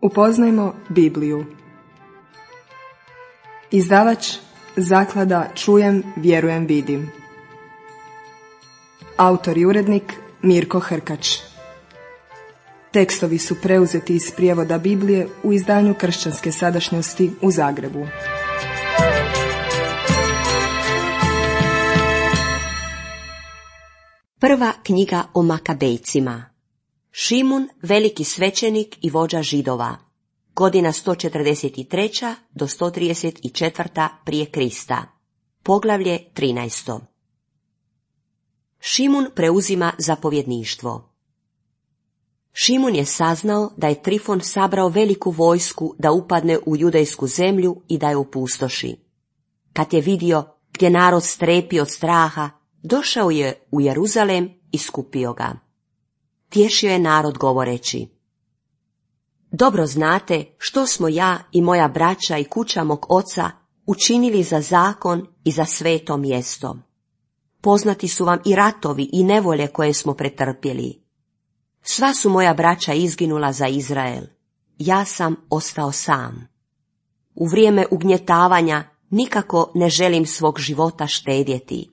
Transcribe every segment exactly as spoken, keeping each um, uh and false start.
Upoznajmo Bibliju. Izdavač Zaklada Čujem, vjerujem, vidim. Autor i urednik Mirko Hrkač. Tekstovi su preuzeti iz prijevoda Biblije u izdanju Kršćanske sadašnjosti u Zagrebu. Prva knjiga o Makabejcima. Šimun, veliki svećenik i vođa Židova. Godina sto četrdeset tri. do sto trideset četiri. prije Krista. Poglavlje trinaesto. Šimun preuzima zapovjedništvo. Šimun je saznao da je Trifon sabrao veliku vojsku da upadne u judejsku zemlju i da je opustoši. Kad je vidio gdje narod strepi od straha, došao je u Jeruzalem i skupio ga. Tješio je narod govoreći: dobro znate što smo ja i moja braća i kuća mog oca učinili za zakon i za sveto mjesto. Poznati su vam i ratovi i nevolje koje smo pretrpjeli. Sva su moja braća izginula za Izrael. Ja sam ostao sam. U vrijeme ugnjetavanja nikako ne želim svog života štedjeti.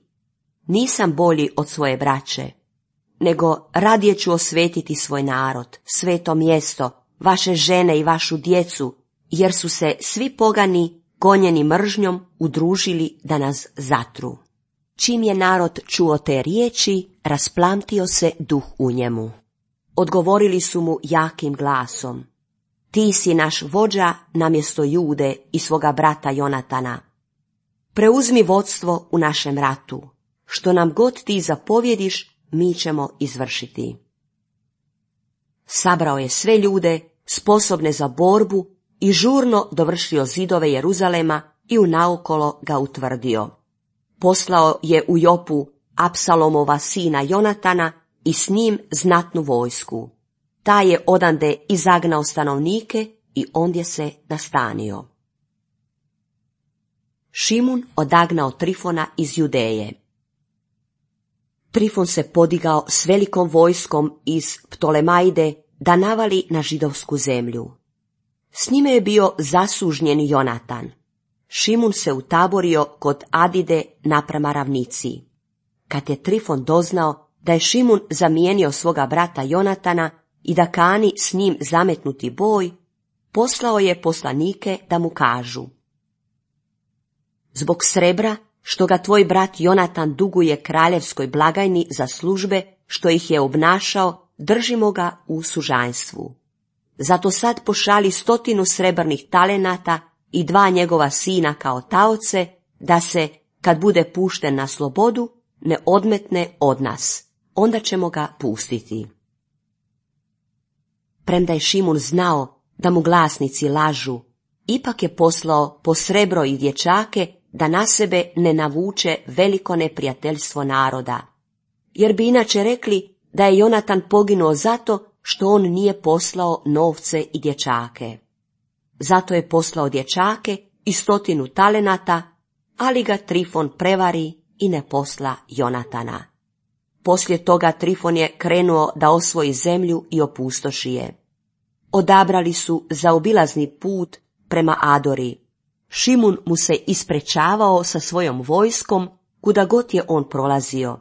Nisam bolji od svoje braće, nego radije ću osvetiti svoj narod, sveto mjesto, vaše žene i vašu djecu, jer su se svi pogani, gonjeni mržnjom, udružili da nas zatru. Čim je narod čuo te riječi, rasplamtio se duh u njemu. Odgovorili su mu jakim glasom: ti si naš vođa namjesto Jude i svoga brata Jonatana. Preuzmi vodstvo u našem ratu. Što nam god ti zapovjediš, mi ćemo izvršiti. Sabrao je sve ljude sposobne za borbu i žurno dovršio zidove Jeruzalema i unaokolo ga utvrdio. Poslao je u Jopu Apsalomova sina Jonatana i s njim znatnu vojsku. Taj je odande izagnao stanovnike i ondje se nastanio. Šimun odagnao Trifona iz Judeje. Trifon se podigao s velikom vojskom iz Ptolemajde da navali na židovsku zemlju. S njime je bio zasužnjen Jonatan. Šimun se utaborio kod Adide naprama ravnici. Kad je Trifon doznao da je Šimun zamijenio svoga brata Jonatana i da kani s njim zametnuti boj, poslao je poslanike da mu kažu: zbog srebra što ga tvoj brat Jonatan duguje kraljevskoj blagajni za službe što ih je obnašao, držimo ga u sužanjstvu. Zato sad pošali stotinu srebrnih talenata i dva njegova sina kao taoce, da se, kad bude pušten na slobodu, ne odmetne od nas. Onda ćemo ga pustiti. Premda je Šimun znao da mu glasnici lažu, ipak je poslao po srebro i dječake da na sebe ne navuče veliko neprijateljstvo naroda, jer bi inače rekli da je Jonatan poginuo zato što on nije poslao novce i dječake. Zato je poslao dječake i stotinu talenata, ali ga Trifon prevari i ne posla Jonatana. Poslije toga Trifon je krenuo da osvoji zemlju i opustoši je. Odabrali su zaobilazni put prema Adori. Šimun mu se isprečavao sa svojom vojskom kuda god je on prolazio,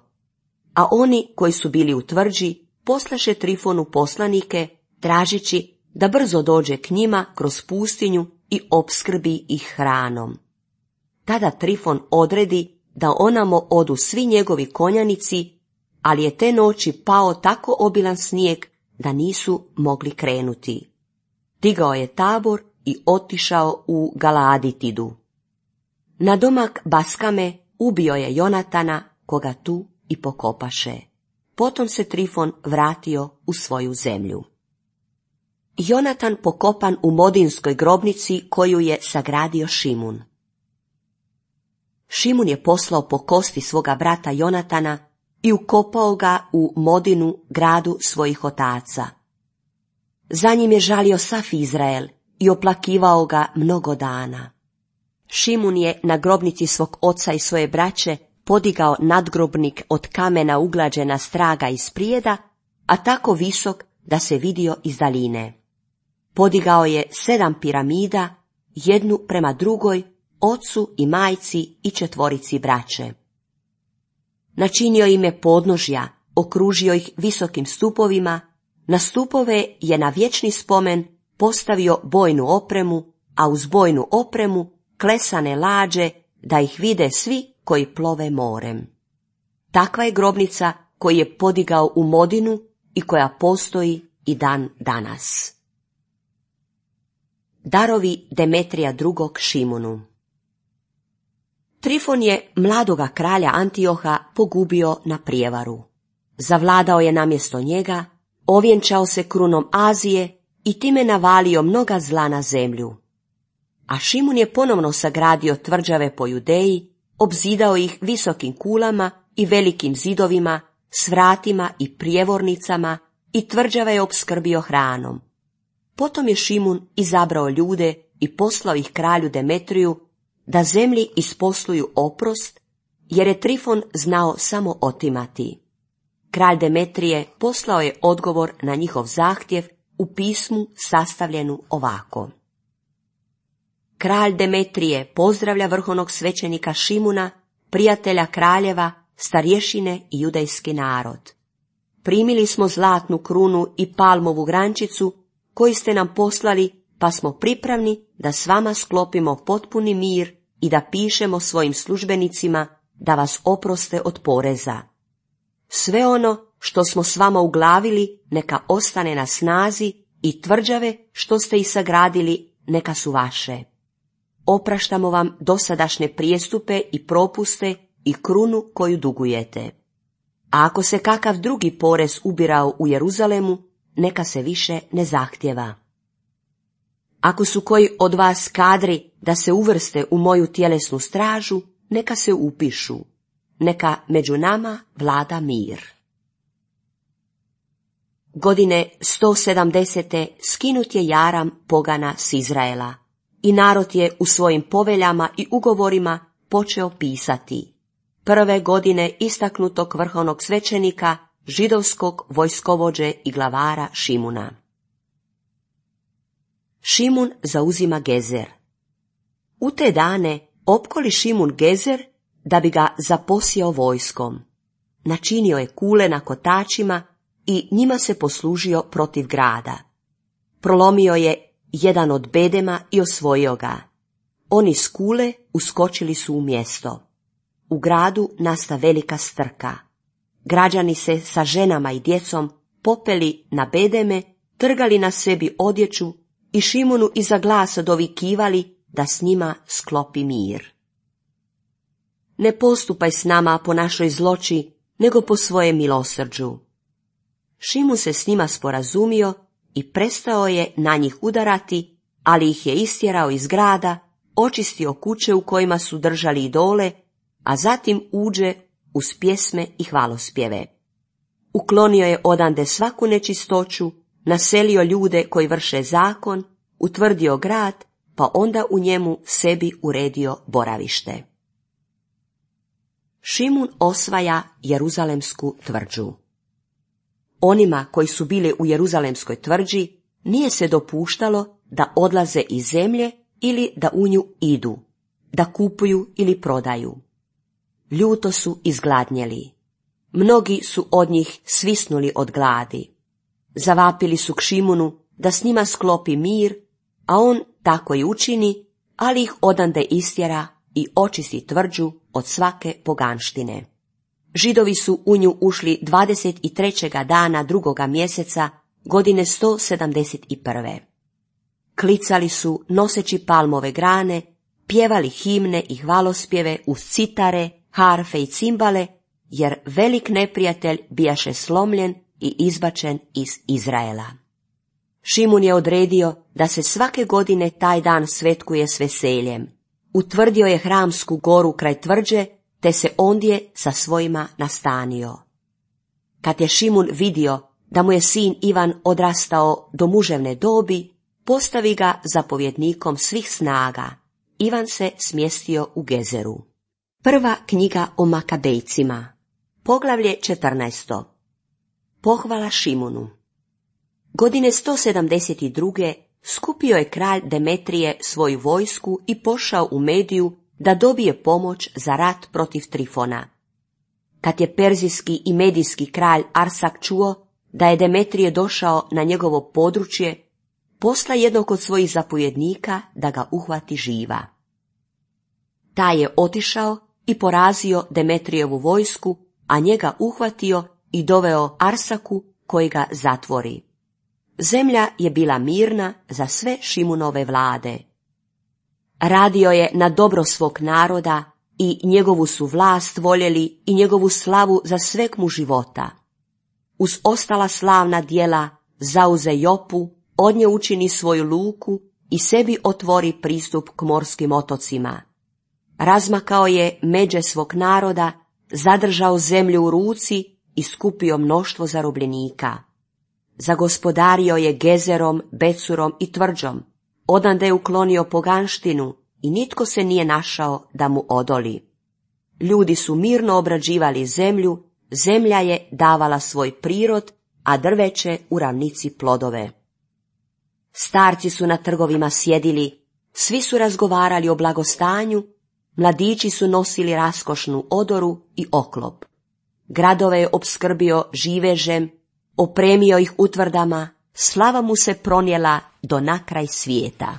a oni koji su bili u tvrđi poslaše Trifonu poslanike tražeći da brzo dođe k njima kroz pustinju i opskrbi ih hranom. Tada Trifon odredi da onamo odu svi njegovi konjanici, ali je te noći pao tako obilan snijeg da nisu mogli krenuti. Digao je tabor i otišao u Galaaditidu. Na domak Baskame ubio je Jonatana, koga tu i pokopaše. Potom se Trifon vratio u svoju zemlju. Jonatan pokopan u Modinskoj grobnici koju je sagradio Šimun. Šimun je poslao po kosti svoga brata Jonatana i ukopao ga u Modinu, gradu svojih otaca. Za njim je žalio sav Izrael i oplakivao ga mnogo dana. Šimun je na grobnici svog oca i svoje braće podigao nadgrobnik od kamena uglađena straga iz prijeda, a tako visok da se vidio iz daljine. podigao je sedam piramida, jednu prema drugoj, ocu i majci i četvorici braće. Načinio im je podnožja, okružio ih visokim stupovima, na stupove je na vječni spomen postavio bojnu opremu, a uz bojnu opremu klesane lađe da ih vide svi koji plove morem. Takva je grobnica koju je podigao u Modinu i koja postoji i dan danas. Darovi Demetrija drugog Šimunu. Trifon je mladoga kralja Antioha pogubio na prijevaru. Zavladao je namjesto njega, ovjenčao se krunom Azije i time navalio mnoga zla na zemlju. A Šimun je ponovno sagradio tvrđave po Judeji, obzidao ih visokim kulama i velikim zidovima, s vratima i prijevornicama i tvrđave je opskrbio hranom. Potom je Šimun izabrao ljude i poslao ih kralju Demetriju da zemlji isposluju oprost, jer je Trifon znao samo otimati. Kralj Demetrije poslao je odgovor na njihov zahtjev u pismu sastavljenu ovako. Kralj Demetrije pozdravlja vrhovnog svećenika Šimuna, prijatelja kraljeva, starješine i judejski narod. Primili smo zlatnu krunu i palmovu grančicu koji ste nam poslali, pa smo pripravni da s vama sklopimo potpuni mir i da pišemo svojim službenicima da vas oproste od poreza. Sve ono što smo s vama uglavili neka ostane na snazi i tvrđave što ste ih sagradili neka su vaše. Opraštamo vam dosadašnje prijestupe i propuste i krunu koju dugujete. A ako se kakav drugi porez ubirao u Jeruzalemu, neka se više ne zahtjeva. Ako su koji od vas kadri da se uvrste u moju tjelesnu stražu, neka se upišu. Neka među nama vlada mir. Godine sto sedamdesete skinut je jaram pogana s Izraela i narod je u svojim poveljama i ugovorima počeo pisati. Prve godine istaknutog vrhovnog svećenika, židovskog vojskovođe i glavara Šimuna. Šimun zauzima Gezer. U te dane opkoli Šimun Gezer da bi ga zaposjeo vojskom. Načinio je kule na kotačima i njima se poslužio protiv grada. Prolomio je jedan od bedema i osvojio ga. Oni s kule uskočili su u mjesto. U gradu nasta velika strka. Građani se sa ženama i djecom popeli na bedeme, trgali na sebi odjeću i Šimunu iza glasa dovikivali da s njima sklopi mir. Ne postupaj s nama po našoj zloči, nego po svojem milosrđu. Šimun se s njima sporazumio i prestao je na njih udarati, ali ih je istjerao iz grada, očistio kuće u kojima su držali idole, a zatim uđe uz pjesme i hvalospjeve. Uklonio je odande svaku nečistoću, naselio ljude koji vrše zakon, utvrdio grad, pa onda u njemu sebi uredio boravište. Šimun osvaja Jeruzalemsku tvrđu. Onima koji su bili u Jeruzalemskoj tvrđi nije se dopuštalo da odlaze iz zemlje ili da u nju idu, da kupuju ili prodaju. Ljuto su izgladnjeli. Mnogi su od njih svisnuli od gladi. Zavapili su k Šimunu da s njima sklopi mir, a on tako i učini, ali ih odande istjera i očisti tvrđu od svake poganštine. Židovi su u nju ušli dvadeset trećeg dana drugoga mjeseca godine sto sedamdeset prve. Klicali su noseći palmove grane, pjevali himne i hvalospjeve uz citare, harfe i cimbale, jer velik neprijatelj bijaše slomljen i izbačen iz Izraela. Šimun je odredio da se svake godine taj dan svetkuje s veseljem. Utvrdio je Hramsku goru kraj tvrđe, te se ondje sa svojima nastanio. Kad je Šimun vidio da mu je sin Ivan odrastao do muževne dobi, postavi ga zapovjednikom svih snaga. Ivan se smjestio u Gezeru. Prva knjiga o Makabejcima. Poglavlje četrnaesto. Pohvala Šimunu. Godine sto sedamdeset druge skupio je kralj Demetrije svoju vojsku i pošao u Mediju da dobije pomoć za rat protiv Trifona. Kad je perzijski i medijski kralj Arsak čuo da je Demetrije došao na njegovo područje, posla jednog od svojih zapovjednika da ga uhvati živa. Taj je otišao i porazio Demetrijevu vojsku, a njega uhvatio i doveo Arsaku koji ga zatvori. Zemlja je bila mirna za sve Šimunove vlade. Radio je na dobro svog naroda i njegovu su vlast voljeli i njegovu slavu za sveg mu života. Uz ostala slavna djela zauze Jopu, od nje učini svoju luku i sebi otvori pristup k morskim otocima. Razmakao je međe svog naroda, zadržao zemlju u ruci i skupio mnoštvo zarobljenika. Zagospodario je Gezerom, Becurom i Tvrđom, odande je uklonio poganštinu i nitko se nije našao da mu odoli. Ljudi su mirno obrađivali zemlju, zemlja je davala svoj prirod, a drveće u ravnici plodove. Starci su na trgovima sjedili, svi su razgovarali o blagostanju, mladići su nosili raskošnu odoru i oklop. Gradove je opskrbio živežem, opremio ih utvrdama, slava mu se pronijela do nakraj svijeta.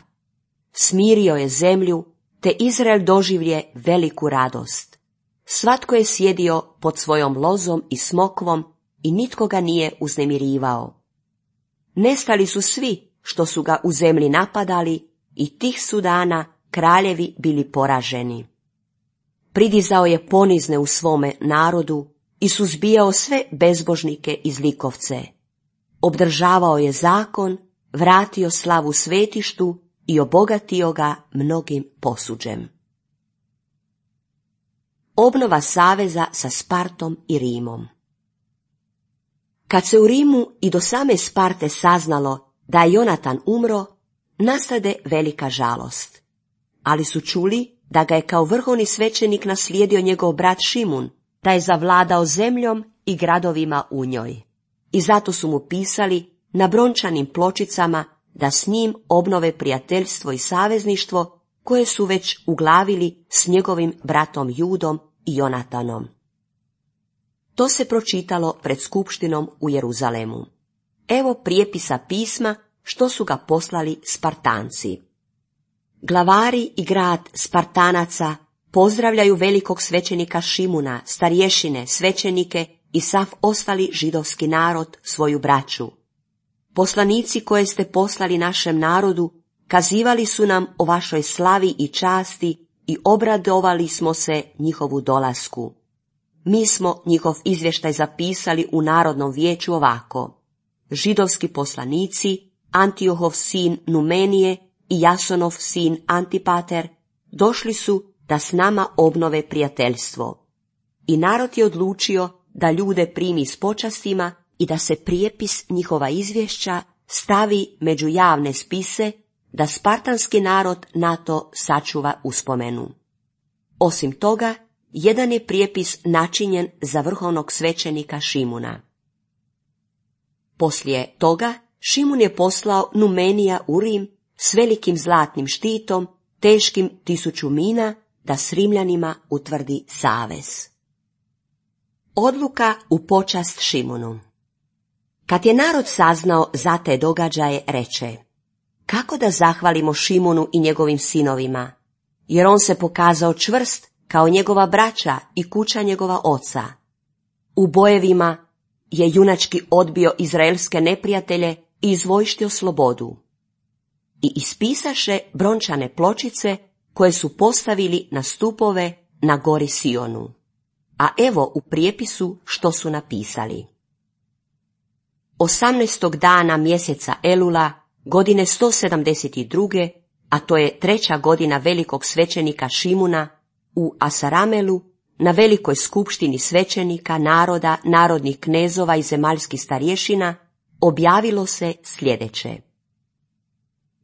Smirio je zemlju, te Izrael doživlje veliku radost. Svatko je sjedio pod svojom lozom i smokvom i nitko ga nije uznemirivao. Nestali su svi što su ga u zemlji napadali i tih su dana kraljevi bili poraženi. Pridizao je ponizne u svome narodu i suzbijao sve bezbožnike i zlikovce. Obdržavao je zakon, vratio slavu svetištu i obogatio ga mnogim posuđem. Obnova saveza sa Spartom i Rimom. Kad se u Rimu i do same Sparte saznalo da je Jonatan umro, nastade velika žalost. Ali su čuli da ga je kao vrhovni svećenik naslijedio njegov brat Šimun, da je zavladao zemljom i gradovima u njoj. I zato su mu pisali na brončanim pločicama da s njim obnove prijateljstvo i savezništvo koje su već uglavili s njegovim bratom Judom i Jonatanom. To se pročitalo pred skupštinom u Jeruzalemu. Evo prijepisa pisma što su ga poslali Spartanci. Glavari i grad Spartanaca pozdravljaju velikog svećenika Šimuna, starješine, svećenike i sav ostali židovski narod, svoju braću. Poslanici koje ste poslali našem narodu kazivali su nam o vašoj slavi i časti i obradovali smo se njihovu dolasku. Mi smo njihov izvještaj zapisali u Narodnom vijeću ovako. Židovski poslanici, Antiohov sin Numenije i Jasonov sin Antipater došli su da s nama obnove prijateljstvo. I narod je odlučio da ljude primi s počastima i da se prijepis njihova izvješća stavi među javne spise, da spartanski narod na to sačuva uspomenu. Osim toga, jedan je prijepis načinjen za vrhovnog svećenika Šimuna. Poslije toga Šimun je poslao Numenija u Rim s velikim zlatnim štitom, teškim tisuću mina, da s Rimljanima utvrdi savez. Odluka u počast Šimunu. Kad je narod saznao za te događaje, reče: kako da zahvalimo Šimunu i njegovim sinovima, jer on se pokazao čvrst kao njegova braća i kuća njegova oca. U bojevima je junački odbio izraelske neprijatelje i izvojštio slobodu. I ispisaše brončane pločice koje su postavili na stupove na gori Sionu. A evo u prijepisu što su napisali. Osamnaestog dana mjeseca Elula, godine sto sedamdeset druge, a to je treća godina velikog svećenika Šimuna, u Asaramelu, na velikoj skupštini svećenika, naroda, narodnih knezova i zemaljskih starješina, objavilo se sljedeće.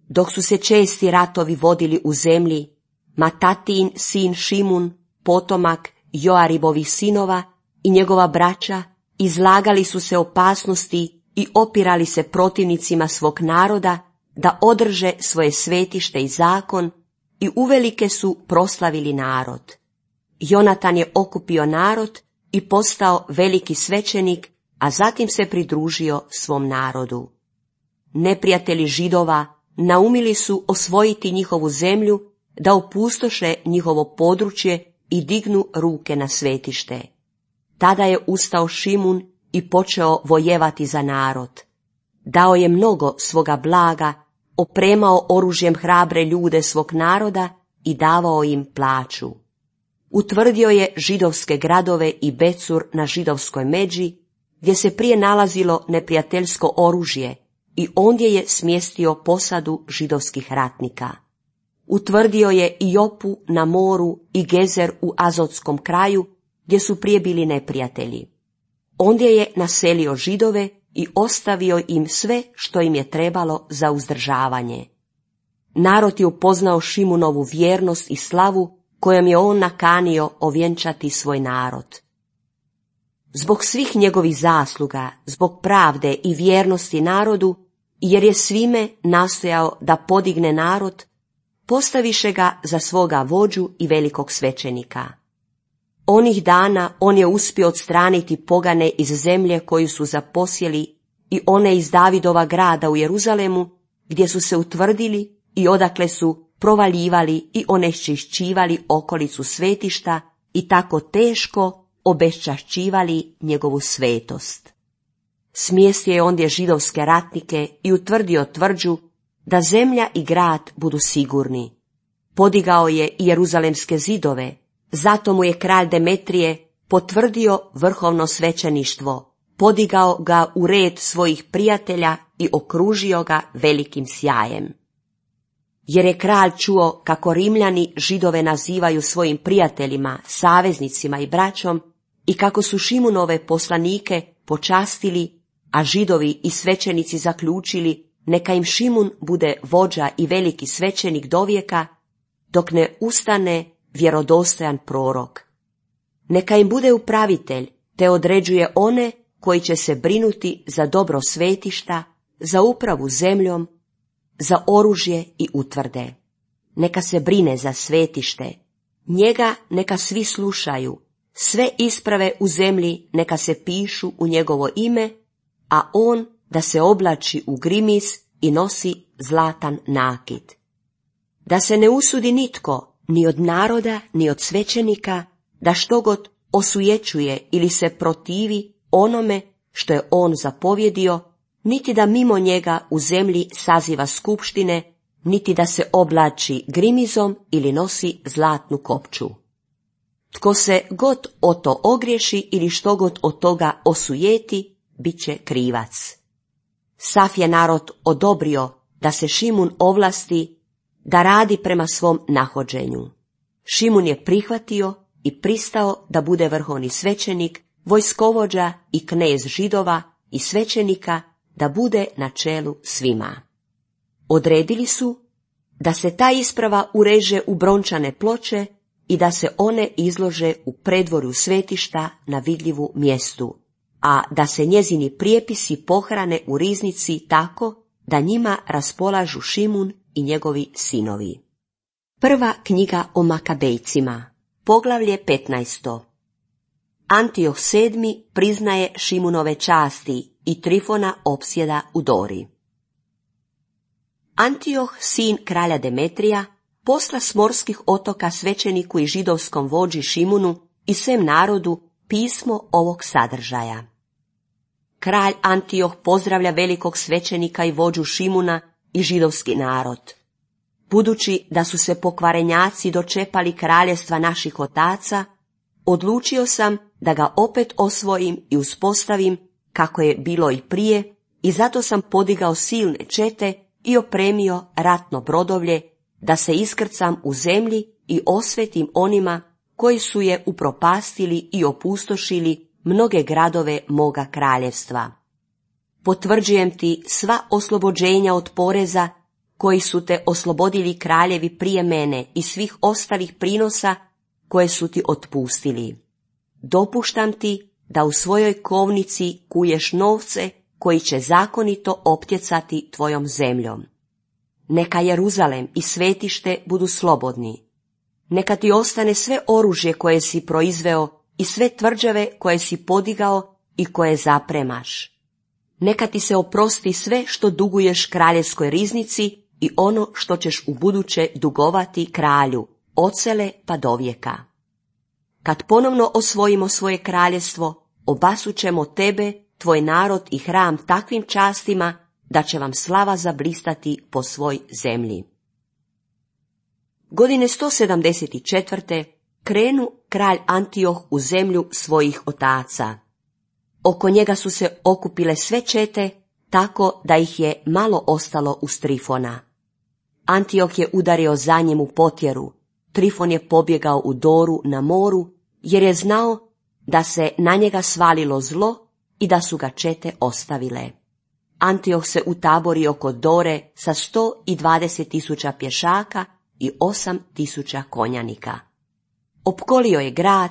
Dok su se česti ratovi vodili u zemlji, Matatin sin Šimun, potomak Joaribovih sinova i njegova braća izlagali su se opasnosti i opirali se protivnicima svog naroda da održe svoje svetište i zakon i uvelike su proslavili narod. Jonatan je okupio narod i postao veliki svećenik, a zatim se pridružio svom narodu. Neprijatelji Židova naumili su osvojiti njihovu zemlju, da opustoše njihovo područje i dignu ruke na svetište. Tada je ustao Šimun i počeo vojevati za narod. Dao je mnogo svoga blaga, opremao oružjem hrabre ljude svog naroda i davao im plaću. Utvrdio je židovske gradove i Becur na židovskoj međi, gdje se prije nalazilo neprijateljsko oružje, i ondje je smjestio posadu židovskih ratnika. Utvrdio je i Jopu na moru i Gezer u Azotskom kraju, gdje su prije bili neprijatelji. Ondje je naselio Židove i ostavio im sve što im je trebalo za uzdržavanje. Narod je upoznao Šimunovu vjernost i slavu, kojom je on nakanio ovjenčati svoj narod. Zbog svih njegovih zasluga, zbog pravde i vjernosti narodu, jer je svime nastojao da podigne narod, postaviše ga za svoga vođu i velikog svećenika. Onih dana on je uspio odstraniti pogane iz zemlje koju su zaposjeli i one iz Davidova grada u Jeruzalemu, gdje su se utvrdili i odakle su provaljivali i oneščišćivali okolicu svetišta i tako teško obeščašćivali njegovu svetost. Smjestio je ondje židovske ratnike i utvrdio tvrđu da zemlja i grad budu sigurni. Podigao je i jeruzalemske zidove, zato mu je kralj Demetrije potvrdio vrhovno svećeništvo, podigao ga u red svojih prijatelja i okružio ga velikim sjajem. Jer je kralj čuo kako Rimljani Židove nazivaju svojim prijateljima, saveznicima i braćom i kako su Šimunove poslanike počastili, a Židovi i svećenici zaključili neka im Šimun bude vođa i veliki svećenik dovijeka, dok ne ustane vjerodostojan prorok. Neka im bude upravitelj, te određuje one koji će se brinuti za dobro svetišta, za upravu zemljom, za oružje i utvrde. Neka se brine za svetište, njega neka svi slušaju, sve isprave u zemlji neka se pišu u njegovo ime, a on da se oblači u grimis i nosi zlatan nakit. Da se ne usudi nitko, ni od naroda, ni od svećenika, da štogod osujećuje ili se protivi onome što je on zapovjedio, niti da mimo njega u zemlji saziva skupštine, niti da se oblači grimizom ili nosi zlatnu kopču. Tko se god o to ogriješi ili što god od toga osujeti, bit će krivac. Sav je narod odobrio da se Šimun ovlasti da radi prema svom nahođenju. Šimun je prihvatio i pristao da bude vrhovni svećenik, vojskovođa i knez Židova i svećenika, da bude na čelu svima. Odredili su da se ta isprava ureže u brončane ploče i da se one izlože u predvorju svetišta na vidljivu mjestu, a da se njezini prijepisi pohrane u riznici tako da njima raspolažu Šimun i njegovi sinovi. Prva knjiga o Makabejcima, poglavlje petnaesto. Antioh sedmi priznaje Šimunove časti i Trifona opsjeda u Dori. Antioh, sin kralja Demetrija, posla s morskih otoka svećeniku i židovskom vođi Šimunu i svem narodu pismo ovog sadržaja. Kralj Antioh pozdravlja velikog svećenika i vođu Šimuna i židovski narod. Budući da su se pokvarenjaci dočepali kraljestva naših otaca, odlučio sam da ga opet osvojim i uspostavim kako je bilo i prije, i zato sam podigao silne čete i opremio ratno brodovlje, da se iskrcam u zemlji i osvetim onima koji su je upropastili i opustošili mnoge gradove moga kraljevstva. Potvrđujem ti sva oslobođenja od poreza koji su te oslobodili kraljevi prije mene i svih ostalih prinosa koje su ti otpustili. Dopuštam ti da u svojoj kovnici kuješ novce koji će zakonito optjecati tvojom zemljom. Neka Jeruzalem i svetište budu slobodni. Neka ti ostane sve oružje koje si proizveo i sve tvrđave koje si podigao i koje zapremaš. Neka ti se oprosti sve što duguješ kraljevskoj riznici i ono što ćeš ubuduće dugovati kralju, odsele pa dovijeka. Kad ponovno osvojimo svoje kraljevstvo, obasućemo tebe, tvoj narod i hram takvim častima da će vam slava zablistati po svoj zemlji. Godine sto sedamdeset četvrte krenu kralj Antioh u zemlju svojih otaca. Oko njega su se okupile sve čete, tako da ih je malo ostalo uz Trifona. Antioh je udario za njim u potjeru. Trifon je pobjegao u Doru na moru, jer je znao da se na njega svalilo zlo i da su ga čete ostavile. Antioh se utaborio kod Dore sa sto dvadeset tisuća pješaka i osam tisuća konjanika. Opkolio je grad,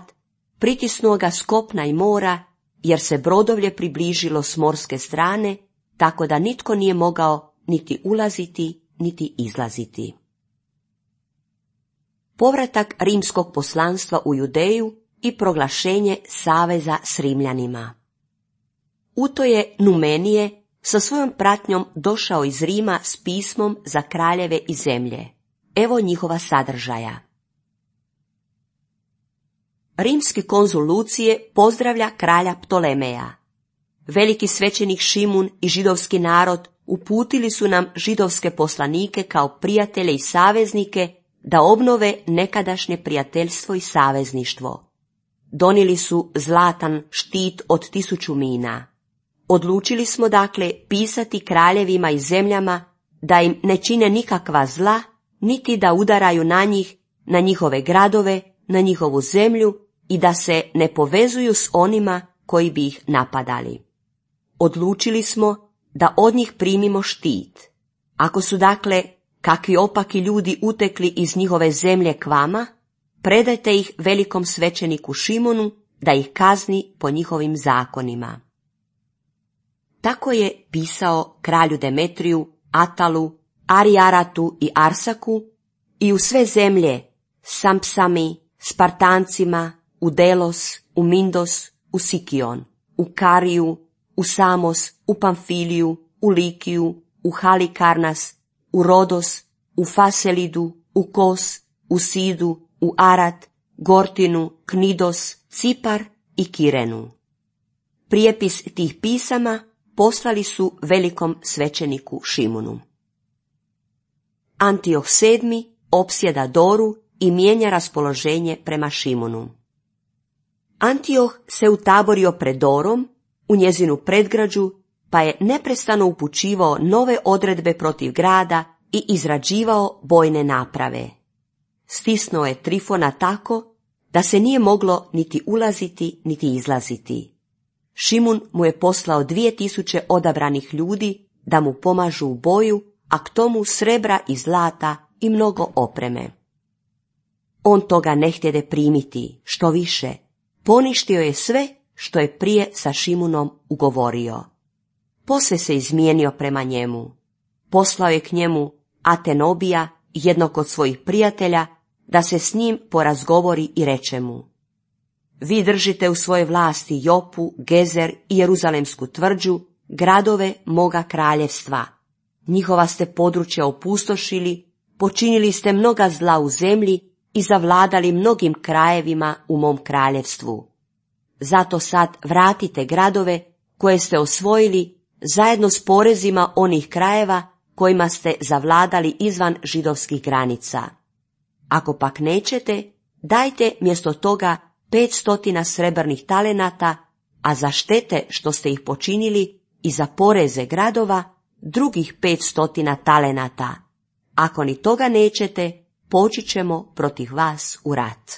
pritisnuo ga s kopna i mora, jer se brodovlje približilo s morske strane, tako da nitko nije mogao niti ulaziti, niti izlaziti. Povratak rimskog poslanstva u Judeju i proglašenje saveza s Rimljanima. Uto je Numenije sa svojom pratnjom došao iz Rima s pismom za kraljeve i zemlje. Evo njihova sadržaja. Rimski konzul Lucije pozdravlja kralja Ptolemeja. Veliki svećenik Šimun i židovski narod uputili su nam židovske poslanike kao prijatelje i saveznike da obnove nekadašnje prijateljstvo i savezništvo. Donijeli su zlatan štit od tisuću mina. Odlučili smo dakle pisati kraljevima i zemljama da im ne čine nikakva zla, niti da udaraju na njih, na njihove gradove, na njihovu zemlju i da se ne povezuju s onima koji bi ih napadali. Odlučili smo da od njih primimo štit. Ako su dakle kakvi opaki ljudi utekli iz njihove zemlje k vama, predajte ih velikom svećeniku Šimonu da ih kazni po njihovim zakonima. Tako je pisao kralju Demetriju, Atalu, Arijaratu i Arsaku i u sve zemlje, Sampsami, Spartancima, u Delos, u Mindos, u Sikion, u Kariju, u Samos, u Pamfiliju, u Likiju, u Halikarnas, u Rodos, u Faselidu, u Kos, u Sidu, u Arat, Gortinu, Knidos, Cipar i Kirenu. Prijepis tih pisama poslali su velikom svećeniku Šimunu. Antioh sedmi opsjeda Doru i mijenja raspoloženje prema Šimunu. Antioh se utaborio pred Dorom, u njezinu predgrađu, pa je neprestano upućivao nove odredbe protiv grada i izrađivao bojne naprave. Stisnuo je Trifona tako da se nije moglo niti ulaziti niti izlaziti. Šimun mu je poslao dvije tisuće odabranih ljudi da mu pomažu u boju, a k tomu srebra i zlata i mnogo opreme. On toga ne htjede primiti, što više, poništio je sve što je prije sa Šimunom ugovorio. Posve se izmijenio prema njemu. Poslao je k njemu Atenobija, jednog od svojih prijatelja, da se s njim porazgovori i reče mu: vi držite u svojoj vlasti Jopu, Gezer i Jeruzalemsku tvrđu, gradove moga kraljevstva. Njihova ste područja opustošili, počinili ste mnoga zla u zemlji i zavladali mnogim krajevima u mom kraljevstvu. Zato sad vratite gradove koje ste osvojili zajedno s porezima onih krajeva kojima ste zavladali izvan židovskih granica. Ako pak nećete, dajte mjesto toga petstotina srebrnih talenata, a za štete što ste ih počinili i za poreze gradova drugih petstotina talenata. Ako ni toga nećete, poći ćemo protiv vas u rat.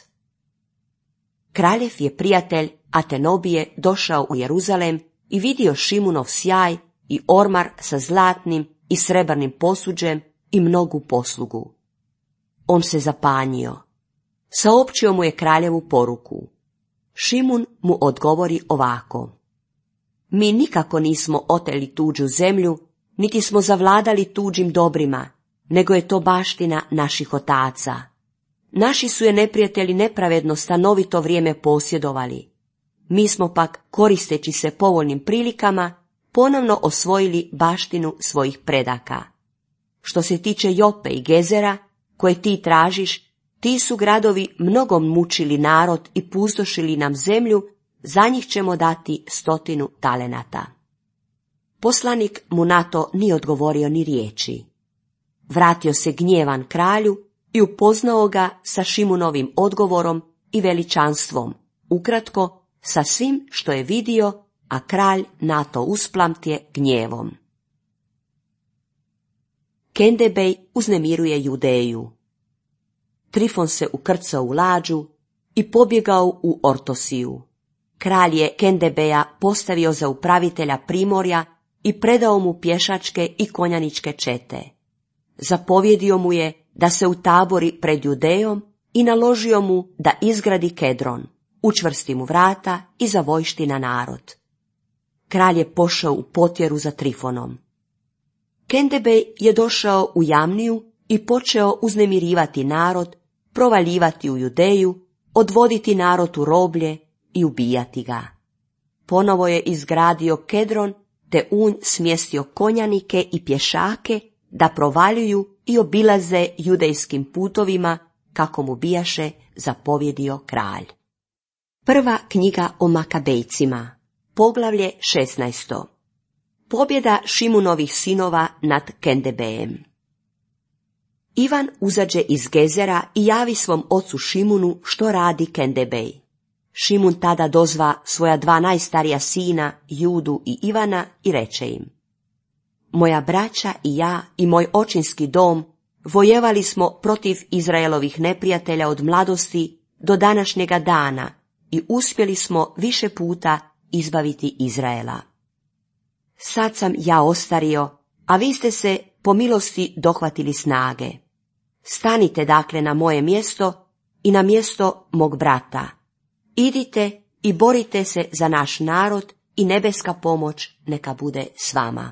Kraljev je prijatelj Atenobije došao u Jeruzalem i vidio Šimunov sjaj i ormar sa zlatnim i srebrnim posuđem i mnogu poslugu. On se zapanjio. Saopćio mu je kraljevu poruku. Šimun mu odgovori ovako: mi nikako nismo oteli tuđu zemlju, niti smo zavladali tuđim dobrima, nego je to baština naših otaca. Naši su je neprijatelji nepravedno stanovito vrijeme posjedovali. Mi smo pak, koristeći se povoljnim prilikama, ponovno osvojili baštinu svojih predaka. Što se tiče Jope i Gezera, koje ti tražiš, ti su gradovi mnogo mučili narod i pustošili nam zemlju, za njih ćemo dati stotinu talenata. Poslanik mu na to nije odgovorio ni riječi. Vratio se gnjevan kralju i upoznao ga sa Šimunovim odgovorom i veličanstvom, ukratko sa svim što je vidio, a kralj na to usplamtje gnjevom. Kendebej uznemiruje Judeju. Trifon se ukrcao u lađu i pobjegao u Ortosiju. Kralj je Kendebeja postavio za upravitelja primorja i predao mu pješačke i konjaničke čete. Zapovjedio mu je da se utabori pred Judejom i naložio mu da izgradi Kedron, učvrsti mu vrata i zavojšti na narod. Kralj je pošao u potjeru za Trifonom. Kendebej je došao u Jamniju i počeo uznemirivati narod, provaljivati u Judeju, odvoditi narod u roblje i ubijati ga. Ponovo je izgradio Kedron, te u nj smjestio konjanike i pješake da provaljuju i obilaze judejskim putovima, kako mu bijaše zapovjedio kralj. Prva knjiga o Makabejcima, poglavlje šesnaesto. Pobjeda Šimunovih sinova nad Kendebejem. Ivan uzađe iz Gezera i javi svom ocu Šimunu što radi Kendebej. Šimun tada dozva svoja dva najstarija sina, Judu i Ivana, i reče im: Moja braća i ja i moj očinski dom vojevali smo protiv Izraelovih neprijatelja od mladosti do današnjega dana i uspjeli smo više puta izbaviti Izraela. Sad sam ja ostario, a vi ste se po milosti dohvatili snage. Stanite dakle na moje mjesto i na mjesto mog brata. Idite i borite se za naš narod i nebeska pomoć neka bude s vama.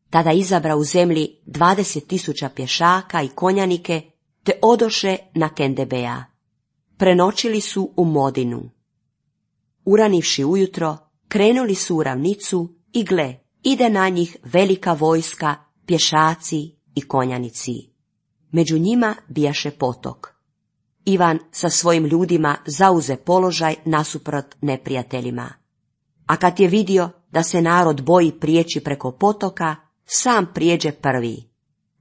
Tada izabra u zemlji dvadeset tisuća pješaka i konjanike, te odoše na Kendebeja. Prenoćili su u Modinu. Uranivši ujutro, krenuli su u ravnicu i gle, ide na njih velika vojska, pješaci i konjanici. Među njima bijaše potok. Ivan sa svojim ljudima zauze položaj nasuprot neprijateljima. A kad je vidio da se narod boji prijeći preko potoka, sam prijeđe prvi.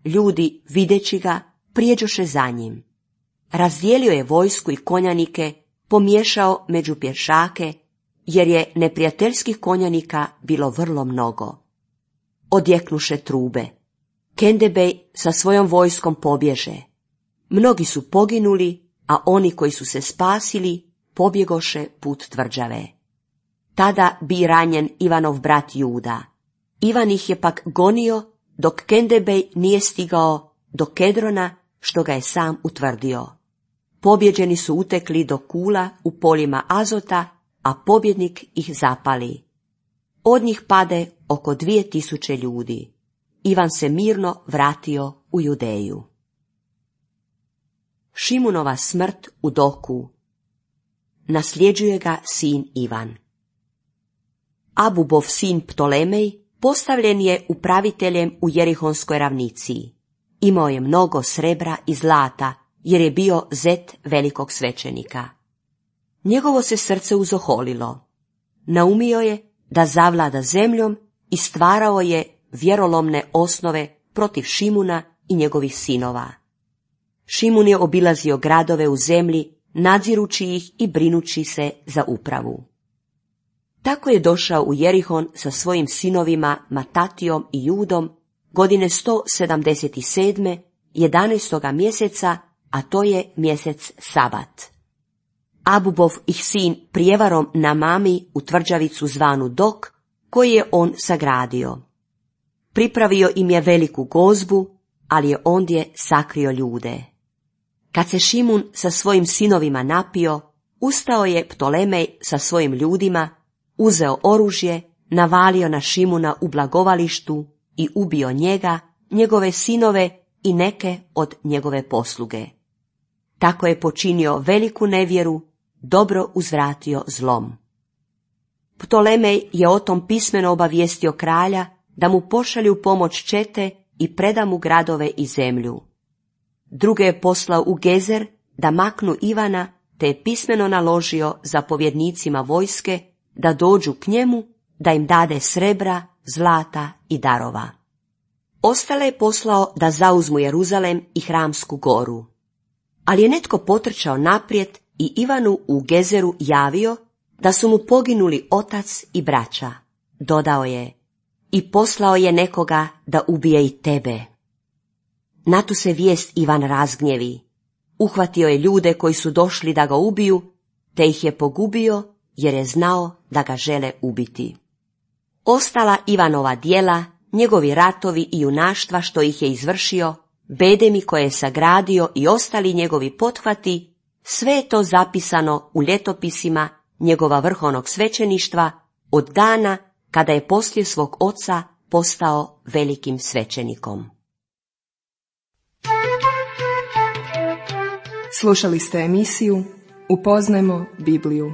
Ljudi, videći ga, prijeđoše za njim. Razdijelio je vojsku i konjanike, pomiješao među pješake, jer je neprijateljskih konjanika bilo vrlo mnogo. Odjeknuše trube. Kendebej sa svojom vojskom pobježe. Mnogi su poginuli, a oni koji su se spasili pobjegoše put tvrđave. Tada bi ranjen Ivanov brat Juda. Ivan ih je pak gonio, dok Kendebej nije stigao do Kedrona, što ga je sam utvrdio. Pobjeđeni su utekli do Kula u poljima Azota, a pobjednik ih zapali. Od njih pade oko dvije tisuće ljudi. Ivan se mirno vratio u Judeju. Šimunova smrt u Doku. Nasljeđuje ga sin Ivan. Abubov sin Ptolemej postavljen je upraviteljem u Jerihonskoj ravnici. Imao je mnogo srebra i zlata, jer je bio zet velikog svećenika. Njegovo se srce uzoholilo. Naumio je da zavlada zemljom i stvarao je vjerolomne osnove protiv Šimuna i njegovih sinova. Šimun je obilazio gradove u zemlji, nadzirući ih i brinući se za upravu. Tako je došao u Jerihon sa svojim sinovima Matatijom i Judom godine sto sedamdeset sedme. jedanaestoga mjeseca, a to je mjesec Sabat. Abubov ih sin prijevarom namami u tvrđavicu zvanu Dok, koji je on sagradio. Pripravio im je veliku gozbu, ali je ondje sakrio ljude. Kad se Šimun sa svojim sinovima napio, ustao je Ptolemej sa svojim ljudima, uzeo oružje, navalio na Šimuna u blagovalištu i ubio njega, njegove sinove i neke od njegove posluge. Tako je počinio veliku nevjeru, dobro uzvratio zlom. Ptolemej je o tom pismeno obavijestio kralja da mu pošalju pomoć čete i preda mu gradove i zemlju. Druge je poslao u Gezer da maknu Ivana, te je pismeno naložio zapovjednicima vojske da dođu k njemu, da im dade srebra, zlata i darova. Ostale je poslao da zauzmu Jeruzalem i Hramsku goru. Ali je netko potrčao naprijed i Ivanu u Gezeru javio da su mu poginuli otac i braća. Dodao je, i poslao je nekoga da ubije i tebe. Na tu se vijest Ivan razgnjevi. Uhvatio je ljude koji su došli da ga ubiju, te ih je pogubio jer je znao da ga žele ubiti. Ostala Ivanova djela, njegovi ratovi i junaštva što ih je izvršio, bedemi koje je sagradio i ostali njegovi pothvati, sve je to zapisano u ljetopisima njegova vrhovnog svećeništva od dana kada je poslije svog oca postao velikim svećenikom. Slušali ste emisiju Upoznajmo Bibliju.